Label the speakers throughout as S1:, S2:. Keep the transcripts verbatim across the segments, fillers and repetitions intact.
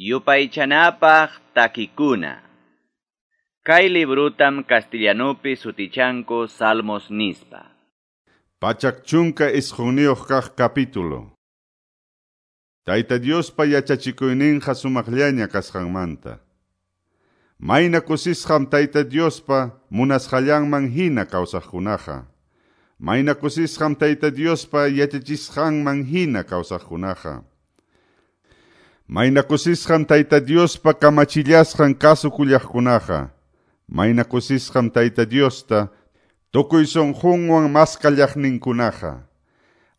S1: Yupaychanapaq takikuna. Kay librutam castellanupi sutichanku Salmos nispa.
S2: Pachak chunka isqunniyuq kaq capítulo. Tayta Diospa yachachikuyninqa sumaqllaña kasqanmanta. Mayna kusisqam Tayta Diospa munasqallanman hina kawsaqkunaqa. Mayna kusisqam Tayta Diospa yachachisqanman hina kawsaqkunaqa. Mayna kusisqam Tayta Diospa kamachillasqan kasukullaqkunaqa. Mayna kusisqam Tayta Diosta tukuy sunqunwan maskallaqninkunaqa.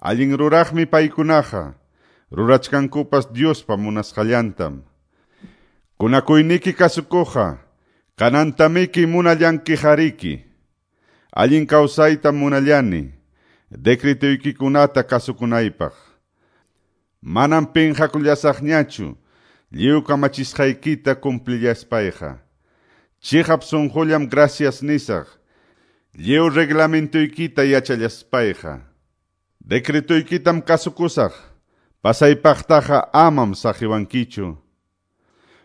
S2: Allin ruraqmi paykunaqa, rurachkankupas Diospa munasqallantam. Kunakuyniki kasukuqa, kanantamiki munallankijariki. Allin kawsaytam munallani, decretuykikunata kasukunaypaq. Manam pinqakullasaqñachu, lliw kamachisqaykita cumplillaspayqa. Chiqap sunqullam gracias nisaq, lliw reglamentuykita yachallaspayqa. Decretuykitam kasukusaq, pasaypaqtaqa amam saqiwankichu.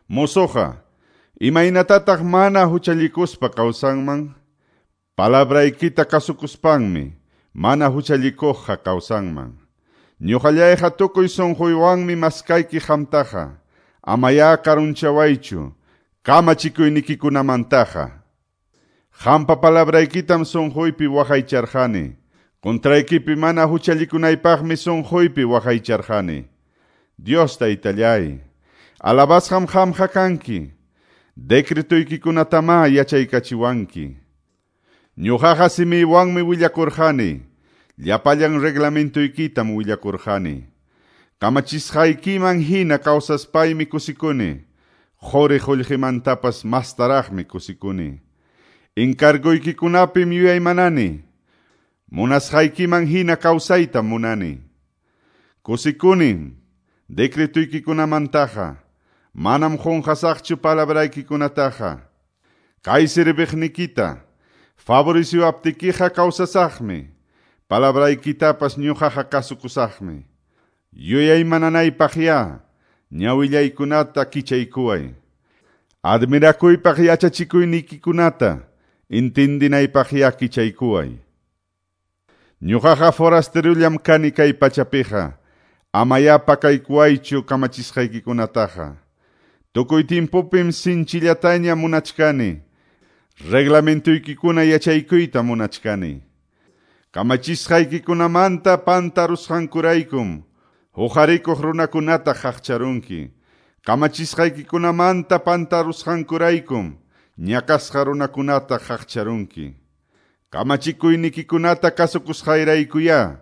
S2: Mozoqa, imaynatataq mana huchallikuspa kawsanman? Palabraykita kasukuspanmi, mana huchallikuqqa kawsanman. Ñuqallayqa tukuy sunquywanmi maskayki qamtaqa, amaya karunchawaychu, kamachikuynikikunamantaqa. Qampa palabraykitam sunquypi waqaycharqani, contraykipi mana huchallikunaypaqmi sunquypi waqaycharqani. Dios Taytallay, alabasqam qamqa kanki, decretuykikunatama yachaykachiwanki. Ñuqaqa simiywanmi willakurqani, llapallan reglamentuykitam willakurqani. Kamachisqaykiman hina kawsaspaymi kusikuni, quri qullqimantapas mastaraqmi kusikuni. Encarguykikunapim yuyaymanani, munasqaykiman hina kawsaytam munani. Kusikunim decretuyki-kunamantaqa, manam qunqasaqchu palabraykikunataqa. Kay sirviqnikita favoreciwaptikiqa kawsasaqmi, palabraykitapas ñuqaqa kasukusaqmi. Yuyaymananaypaqya ñawillaykunata kichaykuway. Admirakuypaq yachachikuynikikunata intindinaypaqya kichaykuway. Ñuqaqa forasterullam kani kay pachapiqa, amaya pakaykuwaychu kamachisqaykikunataqa. Tukuy tiempopim sinchillataña munachkani, reglamentuykikuna yachaykuyta munachkani. Kamachisqaykikunamanta pantarusqankuraykum, huqarikuq runakunata qaqcharunki. Kamachisqaykikunamanta pantarusqankuraykum, ñakasqa runakunata qaqcharunki. Kamachikuynikikunata kasukusqayraykuya,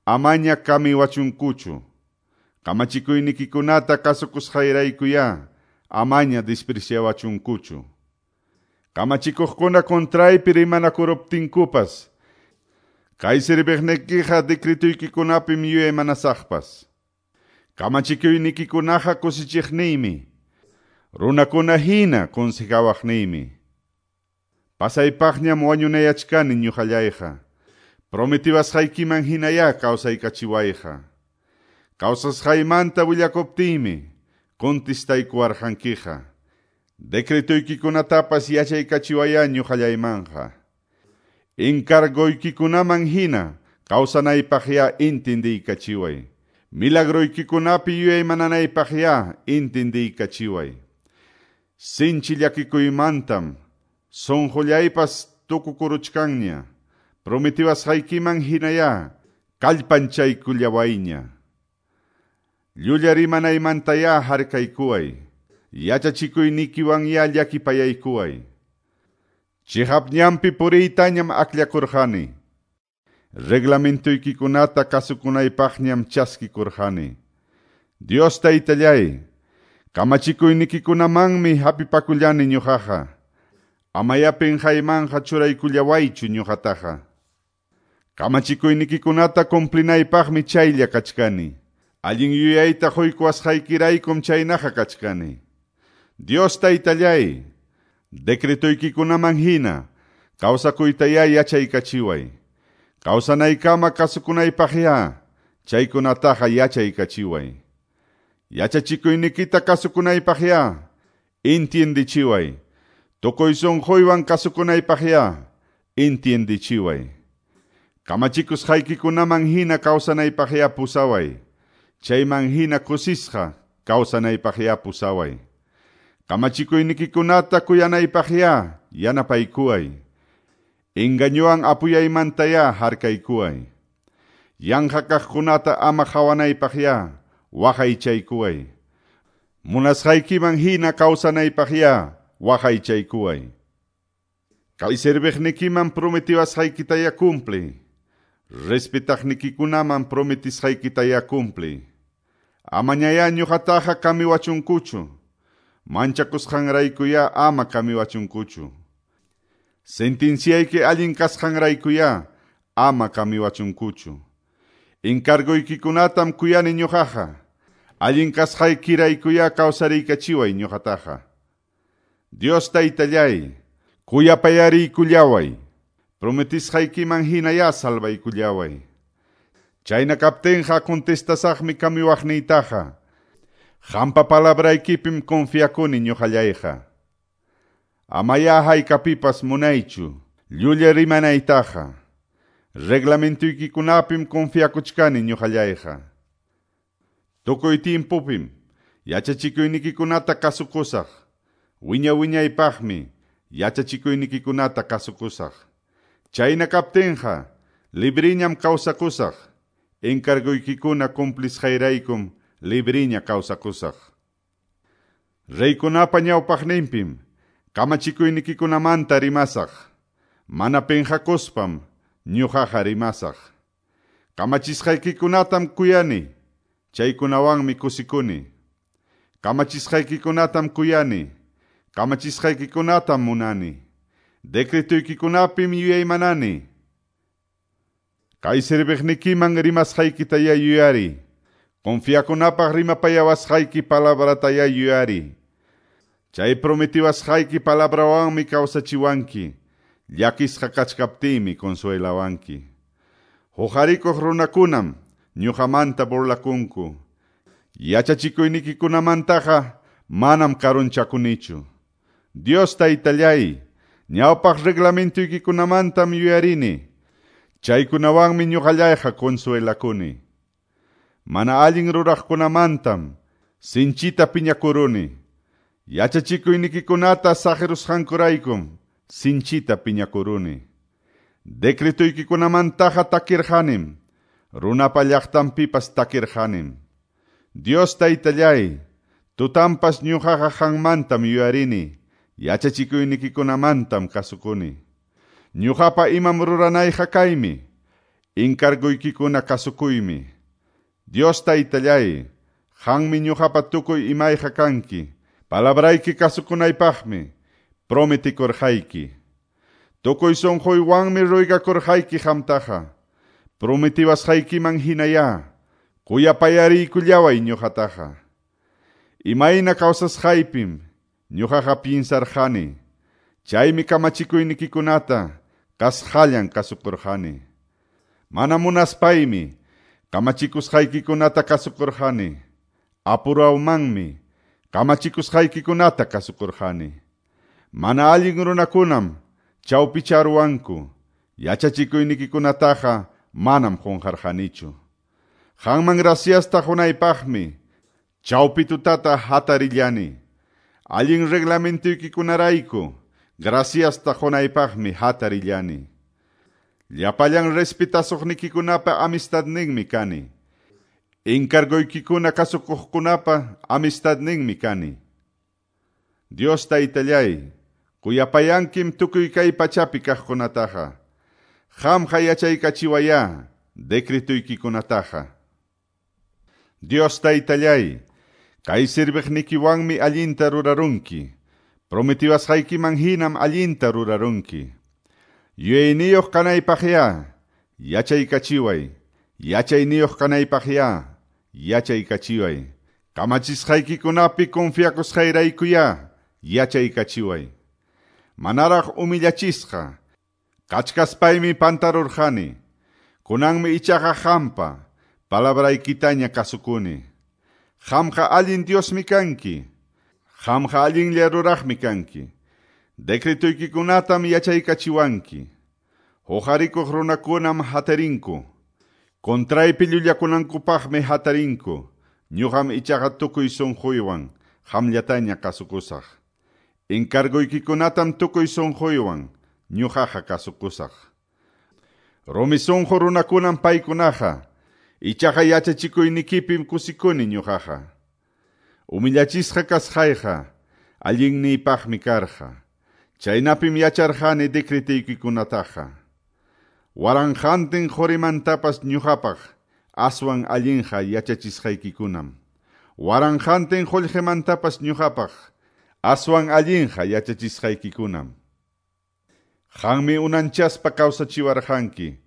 S2: amaña kamiwachunkuchu. Kamachikuynikikunata kasukusqayraykuya, amaña despreciawachunkuchu. Kamachikuqkuna contraypi rimanakuruptinkupas, kay sirviqnikiqa decretuykikunapim yuyaymanasaqpas. Kamachikuynikikunaqa kusichiqniymi, runakuna hina consejawaqniymi. Pasaypaqñam wañunayachkani ñuqallayqa, prometiwasqaykiman hinaya kawsaykachiwayqa. Kawsasqaymanta willakuptiymi, contestaykuwarqankiqa. Decretuykikunatapas yachaykachiwaya ñuqallaymanqa. Encargoykikunaman hina kawsanaypaqya intindiykachiway. Milagroykikunapi yuyaymananaypaqya intindiykachiway. Sinchi llakikuymantam sunqullaypas tukukuruchkanña, prometiwasqaykiman hinaya kallpanchaykullawayña. Llulla rimanaymantaya harkaykuway, yachachikuynikiwanya llakipayaykuway. Chiqap ñanpi puriytañam akllakurqani, reglamentuykikunata kasukunaypaqñam chaskikurqani. Dios Taytallay, kamachikuynikikunamanmi hapipakullani ñuqaqa, amaya pinqaymanqa churaykullawaychu ñuqataqa. Kamachikuynikikunata cumplinaypaqmi chaylla kachkani, allin yuyayta quykuwasqaykiraykum chaynaqa kachkani. Dios Taytallay, decretoykikunaman hina kawsakuytaya yachaykachiway. Kawsanaykama kasukunaypaqya chaykunataqa yachaykachiway. Yachachikuynikita kasukunaypaqya, entiendichiway. Tukuy sunquywan kasukunaypaqya, entiendichiway. Kamachikusqaykikunaman hina kawsanaypaqya pusaway. Chayman hina kusisqa kawsanaypaqya pusaway. Kamachikuynikikunata kuyanaypaqya yanapaykuway. Engañuwan apuyaymantaya harkaykuway. Yanqa kaqkunata ama qawanaypaqya waqaychaykuway. Munasqaykiman hina kawsanaypaqya waqaychaykuway. Kay serviqnikiman prometiwasqaykitaya cumpli. Respetaqnikikunaman prometisqaykitaya cumpli. Amañaya ñuqataqa kamiwachunkuchu. Manchakusqanraykuya ama kamiwachunkuchu. Sentenciayki allin kasqanraykuya ama kamiwachunkuchu. Encargoykikunatam kuyani ñuqaqa. Allin kasqaykiraykuya kawsariykachiway ñuqataqa. Dios taytallay, kuyapayariykullaway. Prometisqaykiman hinaya salvaykullaway. Chayna kaptinqa contestasaqmi kamiwaqniytaqa. Qampa palabraykipim confiakuni ñuqallayqa. Amaya haykapipas munaychu, llulla rimanaytaqa. Reglamentoykikunapim confiakuchkani ñuqallayqa. Tukuy tiempopim yachachikuynikikunata kasukusaq. Wiña wiñaypaqmi yachachikuynikikunata kasukusaq. Chayna kaptinqa libriñam kawsakusaq. Encargoykikuna cumplisqayraykum libriña kawsakusaq. Reykunapa ñawpaqninpim kamachikuynikikunamanta rimasaq. Mana penqakuspam ñuqaqa rimasaq. Kamachisqaykikunatam kuyani, chaykunawanmi kusikuni. Kamachisqaykikunatam kuyani, kamachisqaykikunatam munani. Decretuykikunapim yuyaymanani. Kay serviqnikiman rimasqaykitaya yuyari. Confiakunapaq rimapayawasqayki palabrataya yuyari. Chay prometiwasqayki palabrawanmi kawsachiwanki. Llakisqa kachkaptiymi consuelawanki. Huqarikuq runakunam ñuqamanta burlakunku. Yachachikuynikikunamantaqa manam karunchakunichu. Dios taytallay, ñawpaq reglamentoykikunamantam yuyarini. Chaykunawanmi ñuqallayqa consuelakuni. Mana allin ruraqkunamantam sinchita piñakuruni. Yachachikuynikikunata saqirusqankuraykum sinchita piñakuruni. Decretoykikunamantaqa takirqanim, runapa llaqtanpipas takirqanim. Dios taytallay, tutampas ñuqaqa qanmantam yuyarini, yachachikuynikikunamantam kasukuni. Ñuqapa imam ruranayqa kaymi, encargoykikuna kasukuymi. Dios taytallay, qanmi ñuqapa tukuy imayqa kanki, palabrayki kasukunaypaqmi prometikurqayki. Tukuy sunquywanmi ruygakurqayki qamtaqa, prometiwasqaykiman hinaya, kuyapayariykullaway ñuqataqa. Imayna kawsasqaypim ñuqaqa pinsarqani, chaymi kamachikuynikikunata kasqallan kasukurqani. Mana munaspaymi kamachikusqaykikunata kasukurqani. Apurawmanmi kamachikusqaykikunata kasukurqani. Mana allin runakunam chawpicharuwanku, yachachikuynikikunataqa manam qunqarqanichu. Qanman graciasta qunaypaqmi chawpi tutata hatarillani. Allin reglamentoykikunarayku graciasta qunaypaqmi hatarillani. Llapallan respetasuqnikikunapa amistadninmi kani. Encargoykikuna kasukuqkunapa amistadninmi kani. Dios taytallay, kuyapayankim tukuy kay pachapi kaqkunataqa. Qamqa yachaykachiwaya decretuykikunataqa. Dios taytallay, kay serviqnikiwanmi allinta rurarunki. Prometiwasqaykiman hinam allinta rurarunki. Yuyayniyuq kanaypaqya, yachaykachiway. Yachayniyuq kanaypaqya, yachaykachiway. Kamachisqaykikunapi confiakusqayraykuya, yachaykachiway. Manaraq humillachisqa, kachkaspaymi pantarurqani. Kunanmi ichaqa qampa palabraykitaña kasukuni. Qamqa allin Diosmi kanki. Qamqa allinlla ruraqmi kanki. Decretoykikunatam yachaykachiwanki. Huqarikuq runakunam hatarinku. Contraypi llullakunankupaqmi hatarinku. Ñuqam ichaqa tukuy sunquywan qamllataña kasukusaq. Encargoykikunatam tukuy sunquywan ñuqaqa kasukusaq. Rumi sunqu runakunam paykunaqa. Ichaqa yachachikuynikipim kusikuni ñuqaqa. Humillachisqa kasqayqa allinniypaqmi karqa. Chaynapim yacharqani decretuykikunataqa. Waranqantin qurimantapas ñuqapaq aswan allinqa yachachisqaykikunam. Waranqantin qullqimantapas ñuqapaq aswan allinqa yachachisqaykikunam. Qanmi unanchaspa kawsachiwarqanki.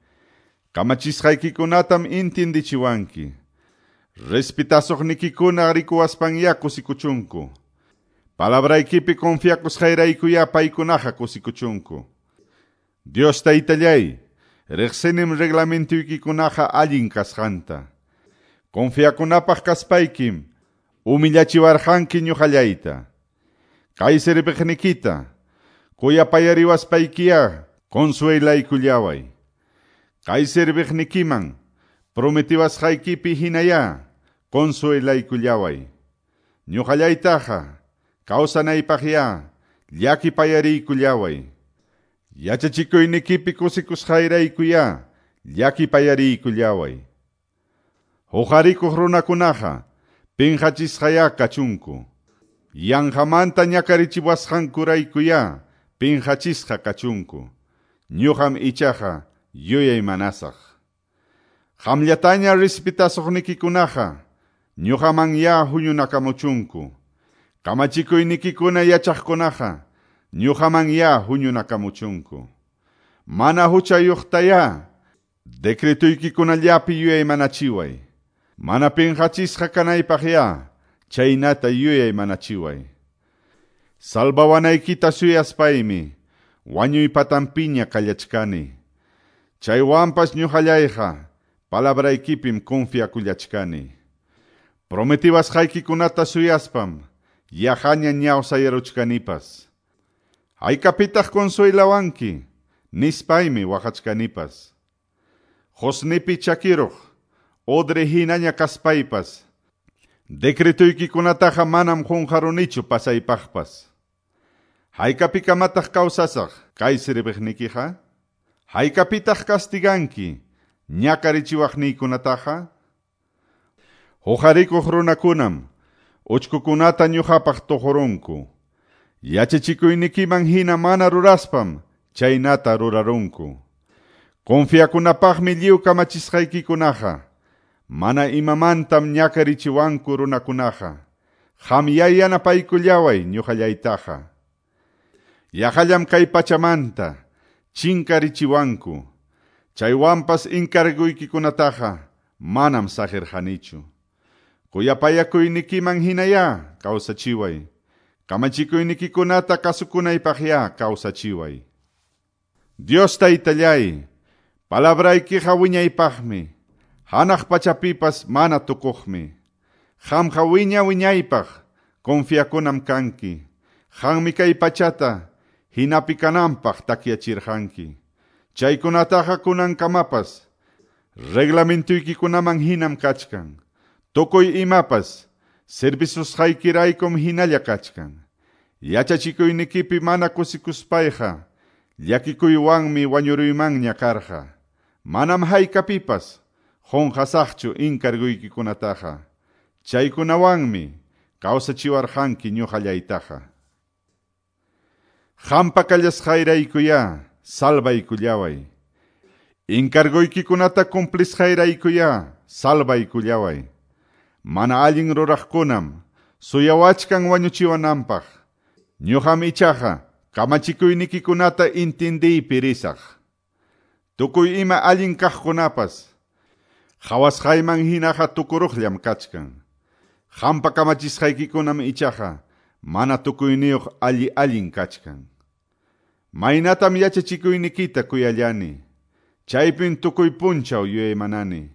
S2: Kamachisqaykikunatam intindichiwanki. Respetasuqnikikuna rikuwaspanya kusikuchunku. Palabraykipi confiakusqayraykuya paykunaqa kusikuchunku. Dios taytallay, riqsinim reglamentuykikunaqa allin kasqanta. Confiakunapaq kaspaykim, humillachiwarqanki ñuqallayta. Kay serviqnikita, kuyapayariwaspaykiya consuelaykullaway. Kay serviqnikiman, prometiwasqaykipi hinaya, consuelaykullaway. Ñuqallaytaqa, kawsanaypaqya, llakipayariykullaway. Yachachikuynikipi kusikusqayraykuya, llakipayariykullaway. Huqarikuq runakunaqa, pinqachisqaya kachunku. Yanqamanta ñakarichiwasqankuraykuya, pinqachisqa kachunku. Ñuqam ichaqa yuyaymanasaq. Qamllataña respetasuqnikikunaqa, ñuqamanya huñunakamuchunku. Kamachikuynikikuna yachaqkunaqa, ñuqamanya huñunakamuchunku. Mana huchayuqtaya, decretuykikunallapi yuyaymanachiway. Mana pinqachisqa kanaypaqya, chaynata yuyaymanachiway. Salvawanaykita suyaspaymi, wañuy patanpiña kallachkani. Chaywanpas ñuqallayqa, palabraykipim confiakullachkani. Prometiwasqaykikunata suyaspam, yaqaña ñawsayaruchkanipas. Haykapitaq consuelawanki, nispaymi waqachkanipas. Qusnipi chakiruq, odre hinaña kaspaypas. Decretuykikunataqa manam qunqarunichu pasaypaqpas. Haykapikamataq kawsasaq kay serviqnikiqa? Haykapitaq castiganki ñakarichiwaqniykunataqa? Huqarikuq runakunam uchkukunata ñuqapaq tuqurunku. Yachachikuynikiman hina mana ruraspam chaynata rurarunku. Confiakunapaqmi lliw kamachisqaykikunaqa. Mana imamantam ñakarichiwanku runakunaqa. Qamyá yanapaykullaway ñuqallaytaqa. Yaqallam kay pachamanta chinkarichiwanku. Chaywanpas encarguykikunataqa manam saqirqanichu. Kuyapayakuynikiman hinaya kawsachiway. Kamachikuynikikunata kasukunaypaqya kawsachiway. Dios taytallay, palabraykiqa wiñaypaqmi. Hanaq pachapipas mana tukuqmi. Qamqa wiña wiñaypaq confiakunam kanki. Qanmi kay pachata hinapi kananpaq takyachirqanki. Chaykunataqa kunankamapas reglamentiykikunaman hinam kachkan. Tukuy imapas servisusqaykiraykum hinalla kachkan. Yachachikuynikipi mana kusikuspayqa llakikuywanmi wañuruymanña karqa. Manam haykapipas qunqasaqchu encarguykikunataqa. Chaykunawanmi kawsachiwarqanki ñuqallaytaqa. Qampa kallasqayraykuya salvaykullaway. Encarguykikunata cumplisqayraykuya salvaykullaway. Mana allin ruraqkunam suyawachkan wañuchiwananpaq. Ñuqam ichaqa kamachikuynikikunata intindiypi risaq. Tukuy ima allin kaqkunapas qhawasqayman hinaqa tukuruqllam kachkan. Qampa kamachisqaykikunam ichaqa mana tukuyniyuq alli allin kachkan. Maynatam yachachikuynikita kuyallani. Chaypin tukuy punchaw yuyaymanani.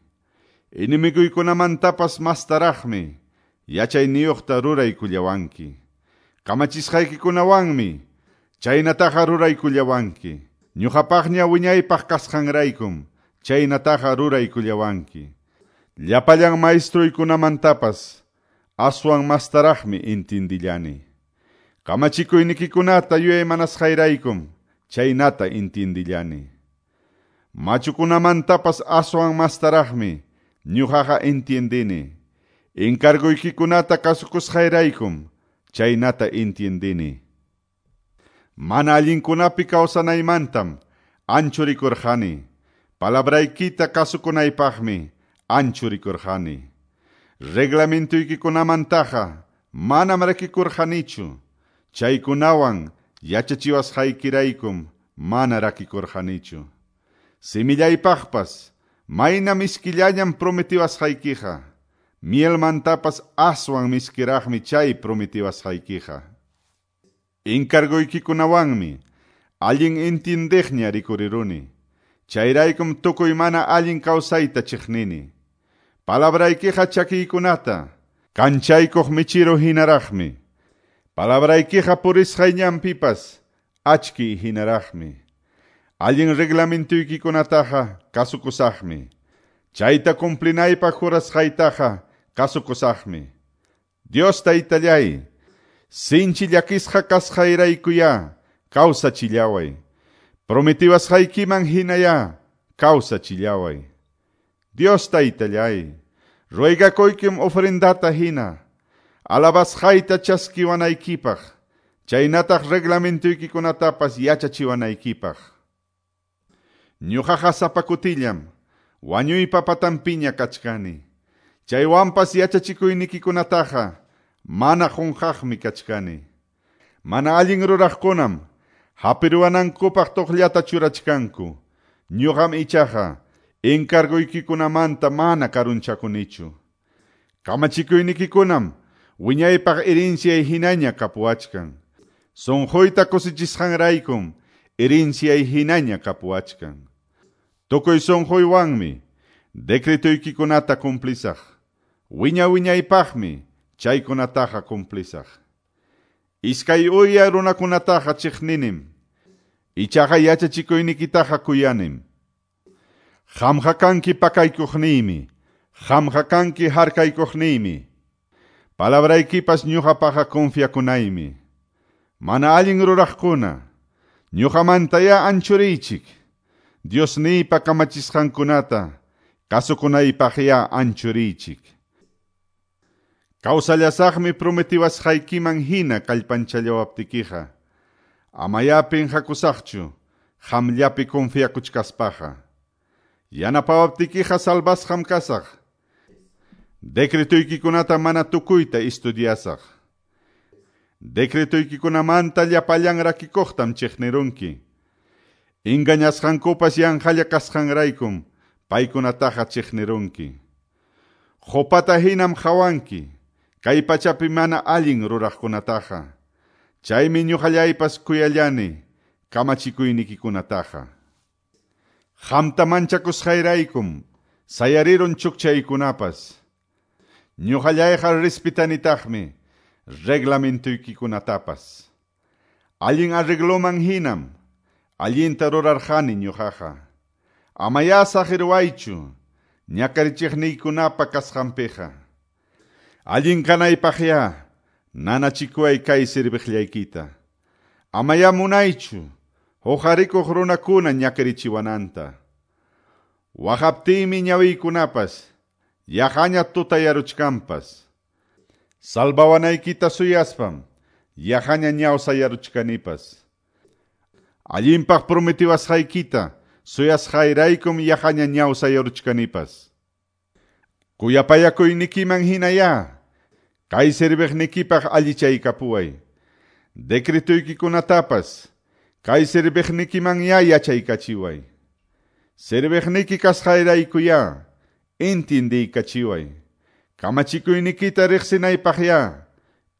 S2: Enemiguykunamantapas mastaraqmi yachayniyuqta ruraykullawanki. Kamachisqaykikunawanmi chaynataqa ruraykullawanki. Ñuqapaqña wiñaypaq kasqanraykum chaynataqa ruraykullawanki. Llapallan maestruykunamantapas aswan mastaraqmi intindillani. Kamachikuynikikunata yuyaymanasqayraykum chaynata intindillani. Machukunamantapas aswan mastaraqmi ñuqaqa intindini. Encarguykikunata kasukusqayraykum chaynata intindini. Mana allinkunapi kawsanaymantam anchurikurqani. Palabraykita kasukunaypaqmi anchurikurqani. Reglamentuyki-kunamantaqa manam rakikurqanichu. Chaykunawan yachachiwasqaykiraykum mana rakikurqanichu. Simillaypaqpas mayna miskillañam prometiwasqaykiqa. Mielmantapas aswan miskiraqmi chay prometiwasqaykiqa. Encargoykikunawanmi allin intindiqña rikuriruni. Chayraykum tukuy mana allin kawsayta chiqnini. Palabraykiqa chakiykunata kanchaykuq michiru hinaraqmi. Palabraykiqa purisqay ñanpipas achkiy hinaraqmi. Allin reglamentoykikunataqa kasukusaqmi. Chayta cumplinaypaq jurasqaytaqa kasukusaqmi. Dios taytallay, sinchi llakisqa kasqayraykuya kawsachillaway. Prometiwasqaykiman hinaya kawsachillaway. Dios taytallay, ruegakuykim ofrendata hina, alabasqayta chaskiwanaykipaq, chaynataq reglamentoykikunatapas yachachiwanaykipaq. Ñuqaqa sapa kutillam wañuypa patanpiña kachkani. Chaywanpas yachachikuynikikunataqa mana qunqaqmi kachkani. Mana allin ruraqkunam hapiruwanankupaq tuqllata churachkanku. Ñuqam ichaqa encarguykikunamanta mana karunchakunichu. Kamachikuynikikunam wiñaypaq herenciay hinaña kapuwachkan. Sunquyta kusichisqanraykum herenciay hinaña kapuwachkan. Tukuy sunquywanmi decretoykikunata cumplisaq. Wiña wiñaypaqmi chaykunataqa cumplisaq. Iskay uya runakunataqa chiqninim. Ichaqa yachachikuynikitaqa kuyanim. Qamqa kanki pakaykuqniymi. Qamqa kanki harkaykuqniymi. Palabraykipas ñuqapaqa confiakunaymi. Mana allin ruraqkuna, ñuqamantaya anchuriychik. Diosniypa kamachisqankunata kasukunaypaqya anchuriychik. Kawsallasaqmi prometiwasqaykiman hina kallpanchallawaptikiqa. Amaya pinqakusaqchu qamllapi confiakuchkaspaqa. Yanapawaptikiqa salvasqam kasaq. Decretoykikunata mana tukuyta estudiasaq. Decretoykikunamanta llapallan rakikuqtam chiqnirunki. Engañasqankupas yanqalla kasqanraykum paykunataqa chiqnirunki. Qupata hinam qawanki kay pachapi mana allin ruraqkunataqa. Chaymi ñuqallaypas kuyallani kamachikuynikikunataqa. Qamta manchakusqayraykum sayarirun chukchaykunapas. Ñuqallayqa respetanitaqmi reglamentoykikunatapas. Allin arregloman hinam allinta rurarqani ñuqaqa. Amaya saqirwaychu ñakarichiqniykunapa kasqanpiqa. Allin kanaypaqya nanachikuway kay serviqllaykita. Amaya munaychu huqarikuq runakuna ñakarichiwananta. Waqaptiymi ñawiykunapas yaqaña tutayaruchkanpas. Salvawanaykita suyaspam yaqaña ñawsayaruchkanipas. Allinpaq prometiwasqaykita suyasqayraykum yaqaña ñawsayaruchkanipas. Kuyapayakuynikiman hinaya kay serviqnikipaq allichaykapuway. Decretoykikunatapas kay serviqnikiman ya yachaykachiway. Serviqniki kasqayraykuya intindiykachiway. Kamachikuynikita riqsinaypaqya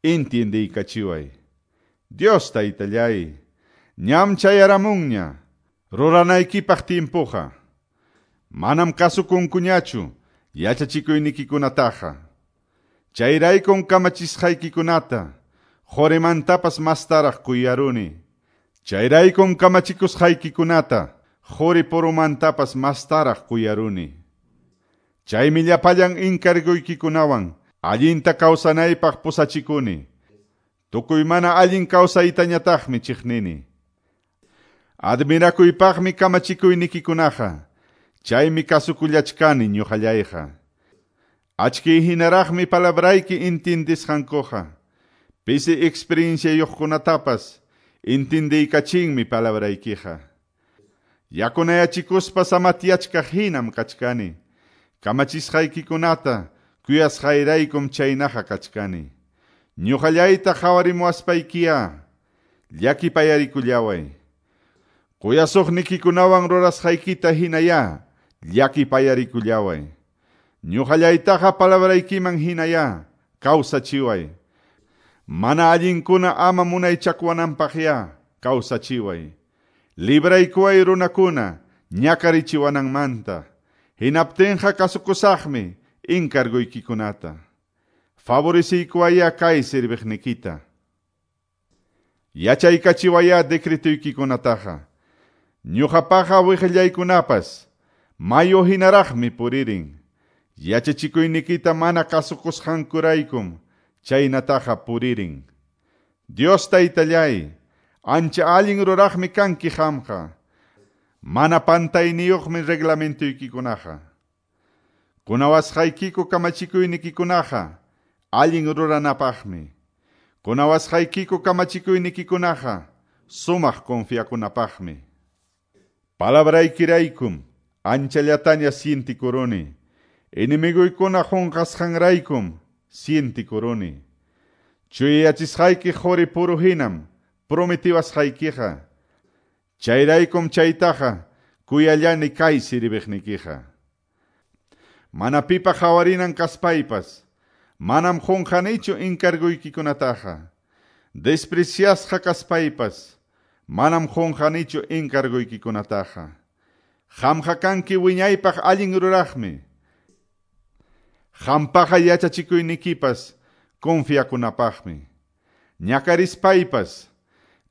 S2: intindiykachiway. Dios taytallay, ñam chayaramunña ruranaykipaq timpuqa. Manam kasukunkuñachu yachachikuynikikunataqa. Chayraykum kamachisqaykikunata qorimantapas mastaraq kuyaruni. Chayraykum kamachikusqaykikunata qori purumantapas mastaraq kuyaruni. Chaymi llapallan encargoykikunawan allinta kawsanaypaq pusachikuni. Tukuy mana allin kawsaytañataqmi chiqnini. Admirakuypaqmi kamachikuynikikunaqa, chaymi kasukullachkani ñuqallayqa. Achki hinaraqmi palabrayki intindisqankuqa. Pisi experienciayuqkunatapas intindiykachinmi palabraykiqa. Yakunayachikuspa samatyachkaq hinam kachkani. Kamachisqaykikunata kuyasqayraykum chaynaqa kachkani. Ñuqallayta qhawarimuwaspaykiya llakipayarikullaway. Kuyasuqnikikunawan rurasqaykita hinaya llakipayarikullaway. Ñuqallaytaqa palabraykiman hinaya kawsachiway. Mana allinkuna ama munaychakuwananpaqya kawsachiway. Libraykuway runakuna ñakarichiwananmanta. Hinaptinqa kasukusaqmi encarguykikunata. Favoreciykuwaya kay sirviqnikita. Yachaykachiwaya decretuykikunataqa. Ñuqapaqa wiqillaykunapas mayu hinaraqmi puririn. Yachachikuynikita mana kasukusqankuraykum chaynataqa puririn. Dios taytallay, ancha allin ruraqmi kanki qamqa. Mana pantayniyuqmi reglamentuykikunaqa. Kunawasqaykiku kamachikuynikikunaqa allin ruranapaqmi. Kunawasqaykiku kamachikuynikikunaqa sumaq confiakunapaqmi. Palabraykiraykum anchallataña sientikuruni. Enemiguykuna qunqasqanraykum sientikuruni. Chuyayachisqayki qori puru hinam prometiwasqaykiqa. Chayraykum chaytaqa kuyallani kay sirviqnikiqa. Mana pipa qhawarinan kaspaypas manam qunqanichu encarguykikunataqa. Despreciasqa kaspaypas manam qunqanichu encarguykikunataqa. Qamqa kanki wiñaypaq allin ruraqmi. Qampaqa yachachikuynikipas confiakunapaqmi. Ñakarispaypas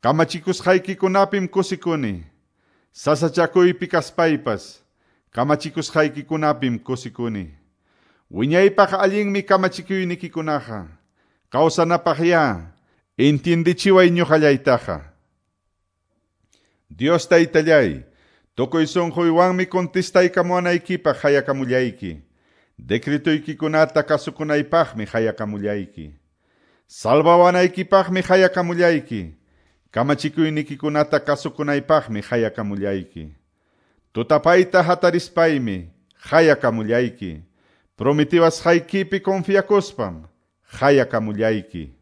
S2: kamachikusqaykikunapim kusikuni. Sasachakuypi kaspaypas kamachikusqaykikunapim kusikuni. Wiñaypaq allinmi kamachikuynikikunaqa. Kawsanapaqya intindichiway ñuqallaytaqa. Dios taytallay, tukuy sunquywanmi contestaykamuwanaykipaq hayakamullayki. Decretuykikunata kasukunaypaqmi hayakamullayki. Salvawanaykipaqmi hayakamullayki. Kamachikuynikikunata kasukunaypaqmi hayakamullayki. Tutapayta hatarispaymi hayakamullayki. Prometiwasqaykipi confiakuspam hayakamullayki.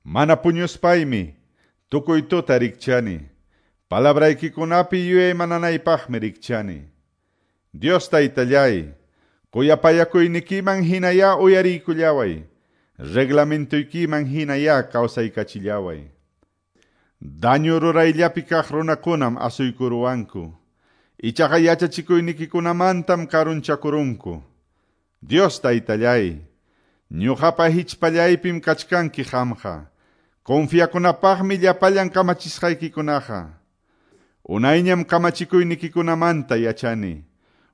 S2: Mana puñuspaymi tukuy tuta rikchani. Palabraykikunapi yuyaymananaypaqmi rikchani. Dios taytallay, kuyapayakuynikiman hinaya uyariykullaway. Reglamentuykiman hinaya kawsaykachillaway. Daño rurayllapi kaq runakunam asuykuruwanku. Ichaqa yachachikuynikikunamantam karunchakurunku. Dios taytallay, ñuqapa hichpallaypim kachkanki qamqa. Confiakunapaqmi llapallan kamachisqaykikunaqa. Unayñam kamachikuynikikunamanta yachani.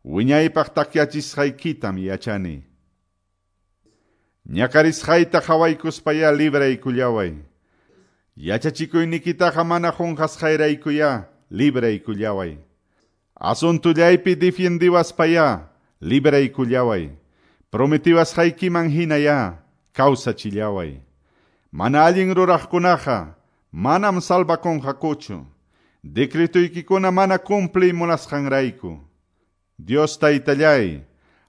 S2: Wiñaypaq takyachisqaykitam yachani. Ñakarisqayta qhawaykuspaya libraykullaway. Yachachikuynikitaqa mana qunqasqayraykuya libraykullaway. Asuntullaypi defiendiwaspaya libraykullaway. Prometiwasqaykiman hinaya kawsachillaway. Mana allin ruraqkunaqa manam salvakunqakuchu. Decretoykikuna mana cumpliy munasqanrayku. Dios taytallay,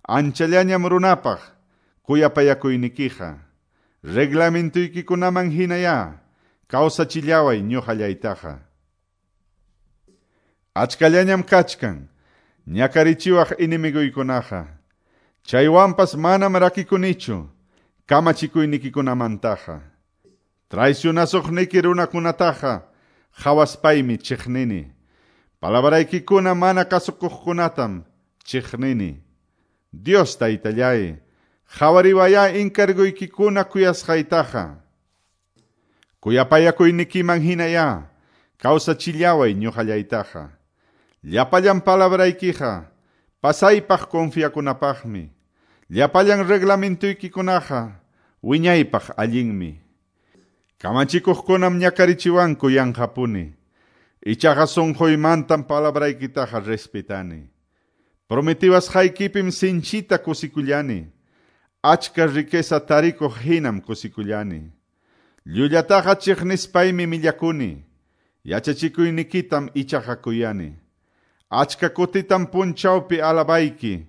S2: anchallañam runapaq kuyapayakuynikiqa. Reglamentuykikunaman hinaya kawsachillaway ñuqallaytaqa. Achkallañam kachkan ñakarichiwaq enemiguykunaqa. Chaywanpas manam rakikunichu kamachikuynikikunamantaqa. Traicionasuqniki runakunataqa hawaspaymi chiqnini. Palabraykikuna mana kasukuqkunatam chiqnini. Dios taytallay, Qhawariwayá encargoykikuna kuyasqaytaqa. Kuyapayakuynikiman hinayá kawsachillaway ñuqallaytaqa. Llapallan palabraykiqa pasaypaq confiakunapaqmi. Llapallan reglamentoykikunaqa wiñaypaq allinmi. Kamachikuqkunam ñakarichiwanku yanqapuni. Ichaqa sunquymantam palabraykitaqa respetani. Prometiwasqaykipim sinchita kusikullani. Achka riqueza tarikuq hinam kusikullani. Llullataqa chiqnispaymi millakuni. Yachachikuynikitam ichaqa kuyani. Achka kutitam punchawpi alabayki.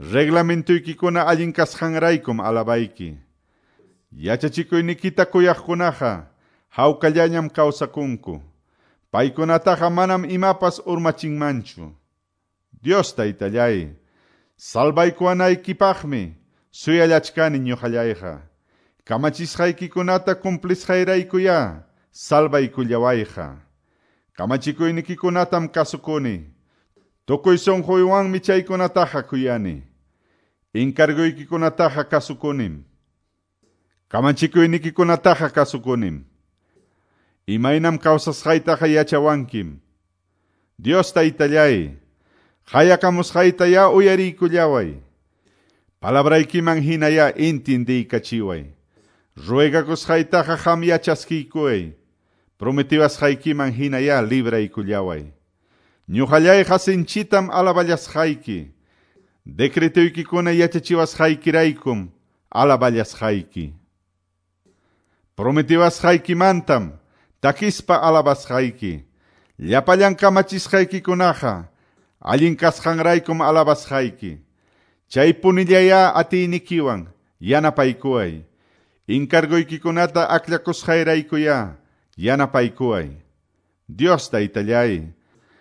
S2: Reglamentoykikuna allin kasqanraykum alabayki. Yachachikuynikita kuyaqkunaqa hawkallañam kawsakunku. Paykunataqa manam imapas urmachinmanchu. Dios taytallay, salvaykuwanaykipaqmi suyallachkani ñuqallayqa. Kamachisqaykikunata cumplisqayraykuyá salvaykullawayqa. Kamachikuynikikunatam kasukuni. Tukuy sunquywanmi chaykunataqa kuyani. Encarguykikunataqa kasukunim. Kamachikuynikikunataqa kasukunim. Imaynam kawsasqaytaqa yachawankim. Dios taytallay, qayakamusqaytayá uyariykullaway. Palabraykiman hinayá intindiykachiway. Ruegakusqaytaqa qam yachaskiykuway. Prometiwasqaykiman hinayá libraykullaway. Ñuqallayqa sinchitam alaballasqayki. Decretoykikuna yachachiwasqaykiraykum alaballasqayki. Prometiwasqaykimantam takispa alabasqayki. Llapallan kamachisqaykikunaqa allin kasqanraykum alabasqayki. Chay punillayá atiynikiwan yanapaykuway. Encargoykikunata akllakusqayraykuyá yanapaykuway. Dios taytallay,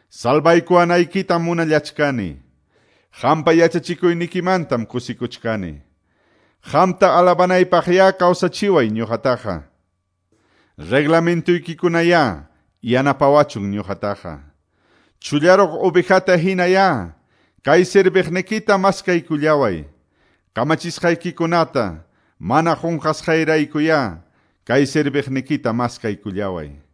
S2: salvaykuwanaykitam munallachkani. Qampa yachachikuynikimantam kusikuchkani. Qamta alabanaypaqyá kawsachiway ñuqataqa. Reglamentoykikunayá yanapawachun ñuqataqa. Chullaruq ovejata hinayá kay serviqnikita maskaykullaway. Kamachisqaykikunata mana qunqasqayraykuyá kay serviqnikita maskaykullaway.